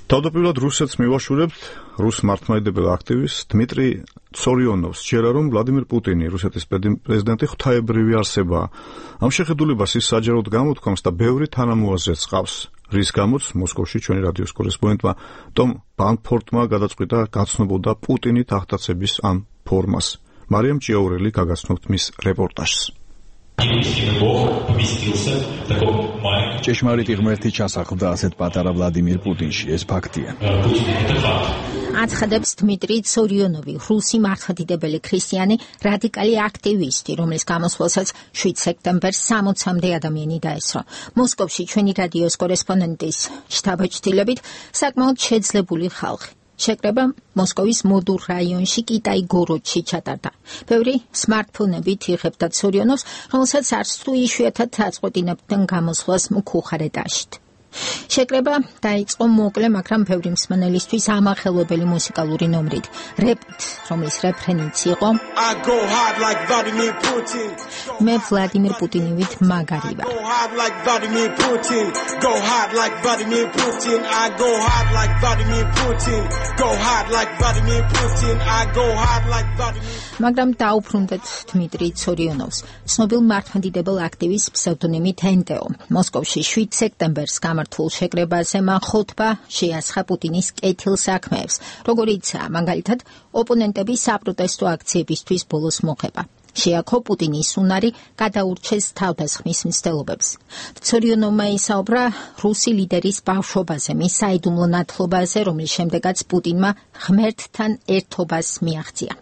თავდაპირველად რუსეთს მივაშურებთ რუს მართლმადიდებელ აქტივისტს დმიტრი ცორიონოვს სჯერა, რომ ვლადიმირ პუტინი, რუსეთის პრეზიდენტი, ღვთაებრივი არსებაა. ამ შეხედულებას ის საჯაროდ გამოთქვამს და ბევრი თანამოაზრეც ჰყავს, რის გამოც მოსკოვში ჩვენი რადიოს კორესპონდენტმა ტომ ბანფორტმა გადაწყვიტა გაცნობოდა პუტინი თახტაცების ამ ფორმას. მარიამ ჭიაურელი გაგაცნობთ მის რეპორტაჟს. ჭეშმარიტი ღმერთი ჩასახლდა ასეთ პატარა ვლადიმირ პუტინში, ეს ფაქტია. აცხადებს დმიტრი ცორიონოვი, რუსი მართლმადიდებელი ქრისტიანი რადიკალი აქტივისტი, რომლის გამოსვლასაც 7 სექტემბერს 60-მდე ადამიანი დაესწრო. მოსკოვში ჩვენი რადიოს კორესპონდენტის შთაბეჭდილებით საკმაოდ შეძლებული ხალხი. შეკრება მოსკოვის მოდურ რაიონში კიტაი-გოროდში ჩატარდა. ბევრი სმარტფონებით იღებდა ცორიონოვს, რომელსაც არც თუ იშვიათად აწყვეტინებდნენ გამოსვლას მუქუხარ ეტაჟით. შეკრება დაიწყო მოკლე, მაგრამ ბევრი მსმენელისთვის ამახელვებელი მუსიკალური ნომრით, რეპით, რომლის რეფრენიც იყო მე ვლადიმირ პუტინივით მაგარი ვარ. მაგრამ დაუბრუნდეთ დმიტრი ცორიონოვს, ცნობილ მართლმადიდებელ აქტივისტს ფსევდონიმით ენტეო. მოსკოვში 7 სექტემბერს გამართულ შეკრებაზე მან ხოთბა შეასხა პუტინის კეთილსაქმეებს, როგორიც მაგალითად ოპონენტების საპროტესტო აქციებისთვის ბოლოს მოხება. შეაქო პუტინის უნარი გადაურჩეს თავდასხმის მცდელობებს. ცორიონოვმა ისაუბრა რუსი ლიდერის ბავშვობაზე, მის საიდუმლო ნათლობაზე, რომლის შემდეგაც პუტინმა ღმერთთან ერთობას მიაღწია.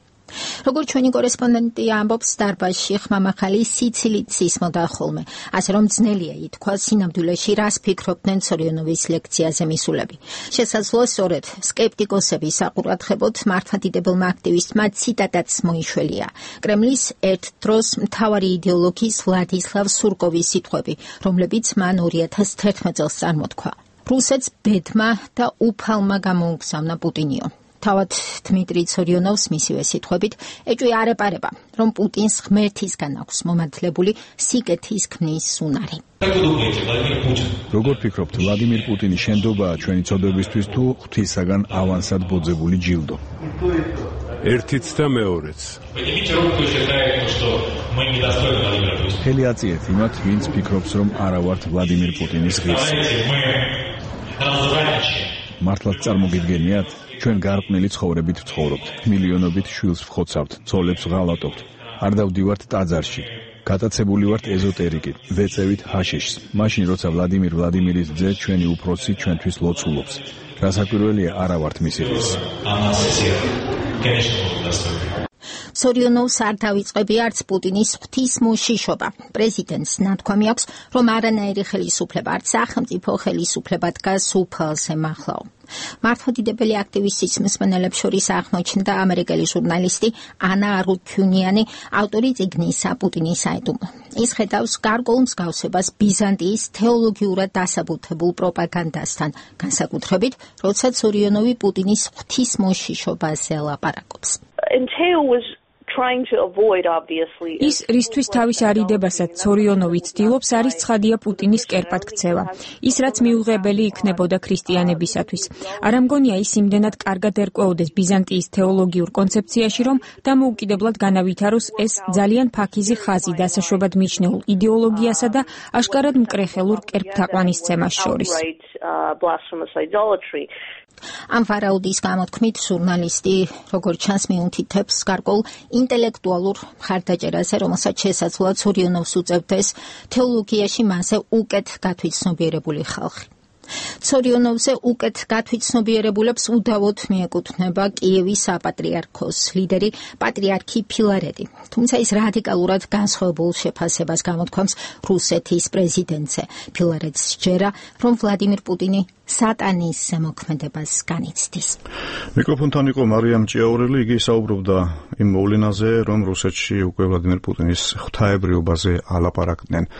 როგორც ჩვენი კორესპონდენტი ამბობს, დარბაზში ხმამახალი სიცილით სისმოდა ხოლმე, ასე რომ ძნელია ითქვა სინამდვილეში რას ფიქრობდნენ ცორიონოვის ლექციაზე მისულები. შესაძლოა სწორედ სკეპტიკოსების საყურადღებოდ მართლმადიდებელმა აქტივისტმა ციტატაც მოიშველია. კრემლის ერთ დროს მთავარი იდეოლოგის ვლადისლავ სურკოვის სიტყვები, რომლებიც მან 2011 წელს წარმოთქვა. რუსეთს ბედმა და უფალმა გამოუგზავნა პუტინიო. თავად დმიტრი ცორიონოვს მისივე სიტყვებით ეჭვი არ ეპარება, რომ პუტინს ღმერთისგან აქვს მომადლებული სიკეთის ქმნის უნარი. როგორ ფიქრობთ, ვლადიმირ პუტინი შენდობაა ჩვენი ცოდვებისთვის თუ ღვთისაგან ავანსად ბოძებული ჯილდო? ერთიც და მეორეც. ხელი აწიეთ იმათ, ვინც ფიქრობს, რომ არა ვართ ვლადიმირ პუტინის ღირსი. მართლაც წარმოგიდგენიათ? ჩვენ გარყვნილი ცხოვრებით ვცხოვრობთ, მილიონობით შვილს ვხოცავთ, ცოლებს ვღალატობთ, არ დავდივართ ტაძარში, გატაცებული ვართ ეზოტერიკით, ვეწევით ჰაშიშს, მაშინ როცა ვლადიმირ ვლადიმირის ძე ჩვენი უფროსი ჩვენთვის ლოცულობს. რასაკვირველია, არა ვართ მისი ღირსი. ცორიონოვს არ დავიწყები არც პუტინის ღვთისმოშიშობა. პრეზიდენტს ნათქვამი აქვს, რომ არანაირი ხელისუფლება, არც სახელმწიფო ხელისუფლება დგას უფალს ემახლაო. მართლმადიდებელი აქტივისტის მსმენელებს შორის აღმოჩნდა ამერიკელი ჟურნალისტი ანა არუთუნიანი, ავტორი წიგნისა პუტინის საიდუმლო. ის ხედავს გარკვეულ მსგავსებას ბიზანტიის თეოლოგიურად დასაბუთებულ პროპაგანდასთან, განსაკუთრებით, როცა ცორიონოვი პუტინის ღვთისმოშიშობაზე ლაპარაკობს. ის რისთვის თავის არიდებასაც ცორიონოვი ცდილობს, არის ცხადია პუტინის კერპად ქცევა. ის რაც მიუღებელი იქნებოდა ქრისტიანებისათვის. არ ამგონია ის იმდენად კარგად ერკვეოდეს ბიზანტიის თეოლოგიურ კონცეფციაში, რომ დამოუკიდებლად განავითაროს ეს ძალიან ფაქიზი ხაზი დასაშვებად მიჩნეულ იდეოლოგიასა და აშკარად მკრეხელურ კერპთაყვანისცემას შორის. ამ ვარაუდის გამოთქმით ჟურნალისტი, როგორც ჩანს, მიუთითებს გარკვეულ ინტელექტუალურ მხარდაჭერაზე, რომელსაც შესაძლოა ცორიონოვს უწევდეს თეოლოგიაში მასზე უკეთ გათვითცნობიერებული ხალხი. ცორიონოვზე უკეთ გათვითცნობიერებულებს უდავოდ მიეკუთვნება კიევის საპატრიარქოს ლიდერი პატრიარქი ფილარეტი. თუმცა ის რადიკალურად განსხვავებულ შეფასებას გამოთქვამს რუსეთის პრეზიდენტზე. ფილარეტს სჯერა, რომ ვლადიმირ პუტინი სატანის ზემოქმედებას განიცდის. მიკროფონთან იყო მარიამ ჭიაურელი, იგი საუბრობდა იმ მოვლენაზე, რომ რუსეთში უკვე ვლადიმირ პუტინის ღვთაებრიობაზე ალაპარაკდნენ.